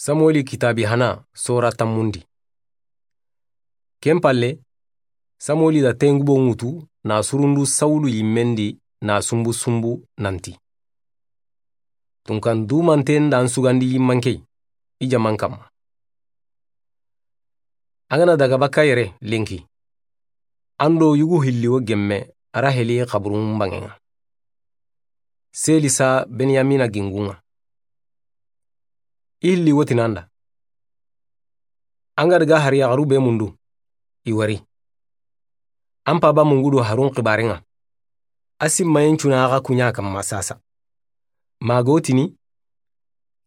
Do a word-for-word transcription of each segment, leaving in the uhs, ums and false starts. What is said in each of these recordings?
Samueli kitaabi hana, sora tanmundi. Ken palle, Samueli da tengubo ŋutu na surundu Sawulu yinmen di na sunbu sunbu nanti: Tunkan dumanten da an sugandi yinmankey, i jaman kanma. An ga na daga bakka yere lenki, an do yugu hilli wo gemme Raheli xaburun banŋen ŋa, Selisa Benyamina gingun ŋa. I hilli wo tinan da. An ga daga hari yaxaru be mundu, i wari. An paba mungudo harun xibaaren ŋa. A simmayen cuna xa kuɲa kanma sasa. Mago tini: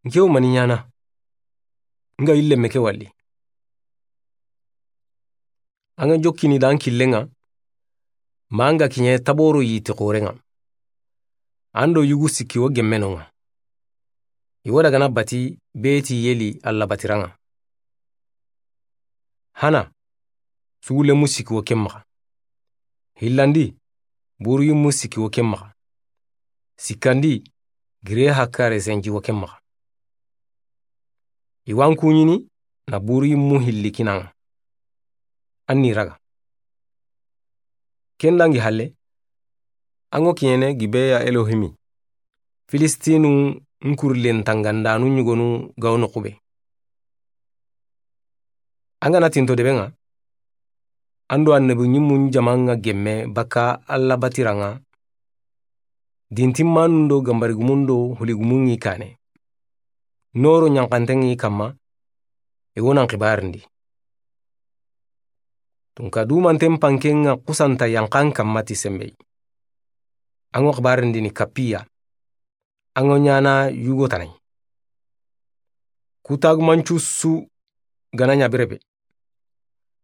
N ke wo mani ɲana? N ga yille me ke walli. An ga jokkini da an killen ŋa, ma an ga kiɲe taboro yiti xoren ŋa. An do yugu sikki wo gemme non ŋa. I wo daga na bati Beti Yeli Alla batiran ŋa. Hana, sugulemu sikki wo ken maxa. Hillandi, buru yimmu sikki wo ken maxa. Sikkandi, gire hakkare senji wo ken maxa. I wa an kuɲini na buru yimmu hilli kinan ŋa. An ni raga. Ken dangi halle, an ŋo kiɲene Gibeya Elohimi, Filistinu nkurlen tangandanu ɲugonu ga wo noxu be. An ga na tinto debe ŋa, an do annabi ɲimmun jaman ŋa gemme bakka Alla batiran ŋa, dintimmanun do gambarigumun do huligumun ŋi kane. Noro ɲanxanten ŋi kanma, i wo nan xibarindi. Tunka dumanten panken ŋa xusanta yanxan kanma ti sembey. An ŋo xibarindini kappiya. An ŋo ɲana yugo tanay. Kutagumancu su ga na ɲa bire be.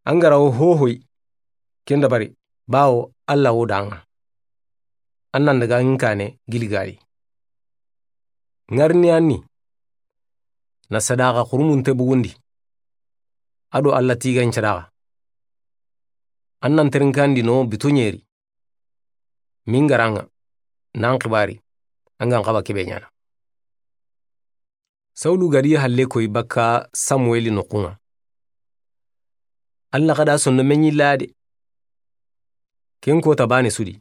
An ga ra wo hohoy, ken dabari, bawo Alla wo da an ŋa. An nan daga n kane Giligali. Ŋarini an ni na sadaxa xurumunte bugundi. A do Alla tiga n sadaxa. An nan terinkandi no bito ɲeri. Min ga ra an ŋa, nan xibari, an ga n xaba kebe ɲana. Sawulu ga di halle koy bakka Samueli noxun ŋa. Alla xa da sonno me ɲilla de. Ken kota bane su di.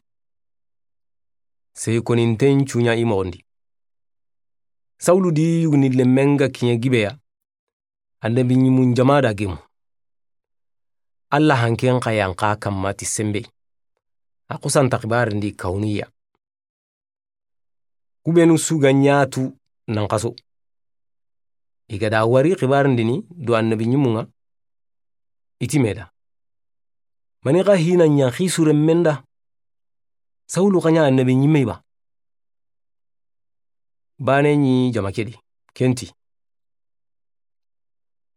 Sey koninten cuɲa i moxon di. Sawulu di yuguni lemmen ga kiɲe Gibeya. Annabi ɲimmun jama da gemu. Alla hanken xa yanxa kanma ti sembey. A xusanta xibarindi kawuniya. Kubenu su ga ɲatu nan xaso. I ga da wari xibarindini do annabi ɲimmun ŋa. I ti me da. Mani xa hina ɲa xisure men da. Sawulu xa ɲa annabi ɲimmey ba. Bane ɲi jama ke di, ken ti: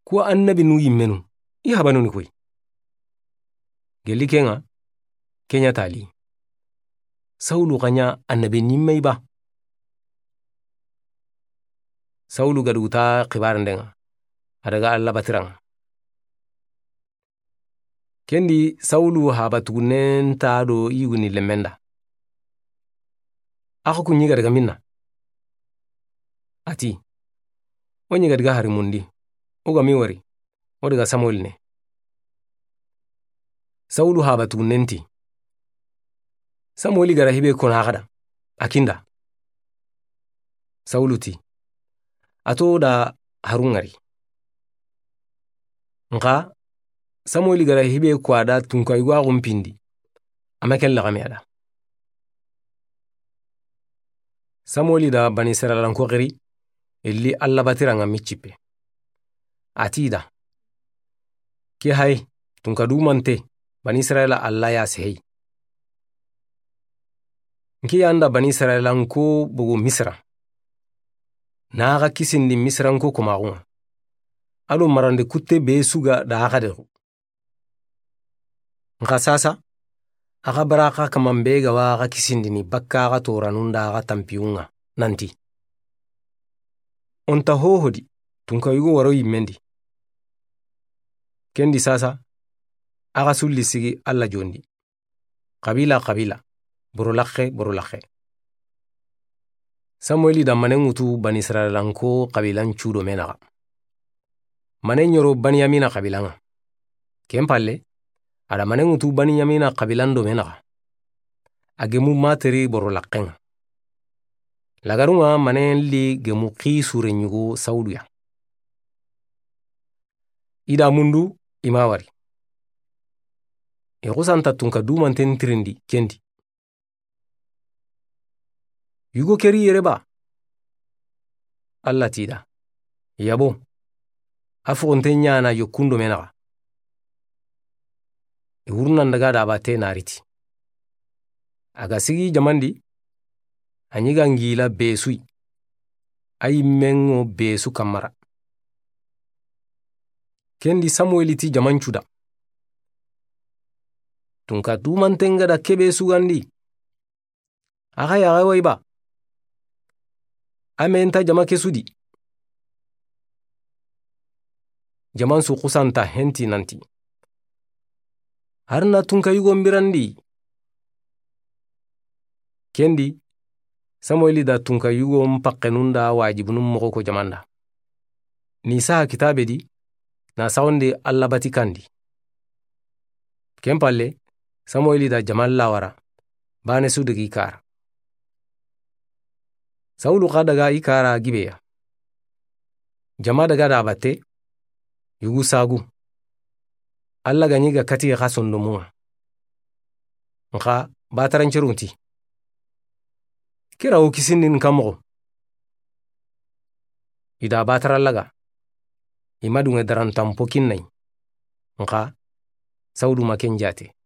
Kuwa annabinu yimmenu, i habanuni koy. Gelli ken ŋa, ken ɲa tali: Sawulu xa ɲa annabi ɲimmey ba. Sawulu ga duguta xibarenden ŋa, a daga Alla batiran ŋa. Ken di Sawulu haba tugunnen ta do yuguni lemmen da. A xa ku ɲi ga daga minna? A ti: O ɲi ga daga harimundi, o ga mi wari, o daga Samueli ne. Sawulu haba tugunnen ti: Samueli ga ra hibe kona xa da, a kinda. Sawulu ti: A to da harun ŋari. Nxa Samueli ga ra hibe ko a da tunka yugo a xunpindi, a ma ken laxame a da. Samueli da Bani Israila nko xiri, i li Alla batiran ŋa miccippe. A ti i da: Ke hay, tunka dumante, Bani Israila Alla ya sehey. N ke ya n da Bani Israila nko bogu Misira. Na xa kisindi Misira nko komaxun ŋa. A do marande kutte be su ga da xa dexu. Nxa sasa, a xa bara xa kaman be ga wa xa kisindini bakka xa toranun da xa tanpiyun ŋa, nanti: O nta hoho di, tunka yugo waro yimmen di. Ken di sasa, a xa sulli sigi Alla jondi. Xabila xabila, boro laxe boro laxe. Samueli da manen ŋutu Bani Israila nko xabilan cu do me naxa. Mane ɲoro Baniɲamina xabiila ŋa. Ken palle, a da mane ŋutu Baniɲamina xabiilan do me naxa. A gemu Materi boro laqqen ŋa. Lagarun ŋa mane li gemu Xi suren ɲugo Sawulu ya. I da mundu i ma wari. I xusanta tunka dumanten tirindi ken di. Yugo ke ri yere ba? Alla ti i da, yabo, a foxonte ɲaana yokkun do me naxa. I wurunandaga da bate na riti. A ga sigi jaman di, a ɲi ga ngila besu yi. A yinmen ŋo besu kamara. Ken di Samuweli ti jamancu da, tunka dumanten ga da ke be sugandi, a xa yaxe wa i ba? A me nta jama ke su di. Jaman su xusanta henti nanti, hari na tunka yugo n birandi. Ken di Samuweli da tunka yugo n paxenun da wajibunun moxo ko jaman da. Ni saha kitabe di, na saxondi Alla bati kan di. Ken palle, Samuweli da jaman lawara, bane su daga i kara. Sawulu xa daga i kara Gibeya. Jama daga da bate, yugu sagu. Alla ga ɲi ga kati xa sondomun ŋa. Nxa batarancerun ti, kira wo kisindin ka moxo. I da batara laga, i ma dunŋe darantan po kinnayi. Nxa Sawulu ma ken jate.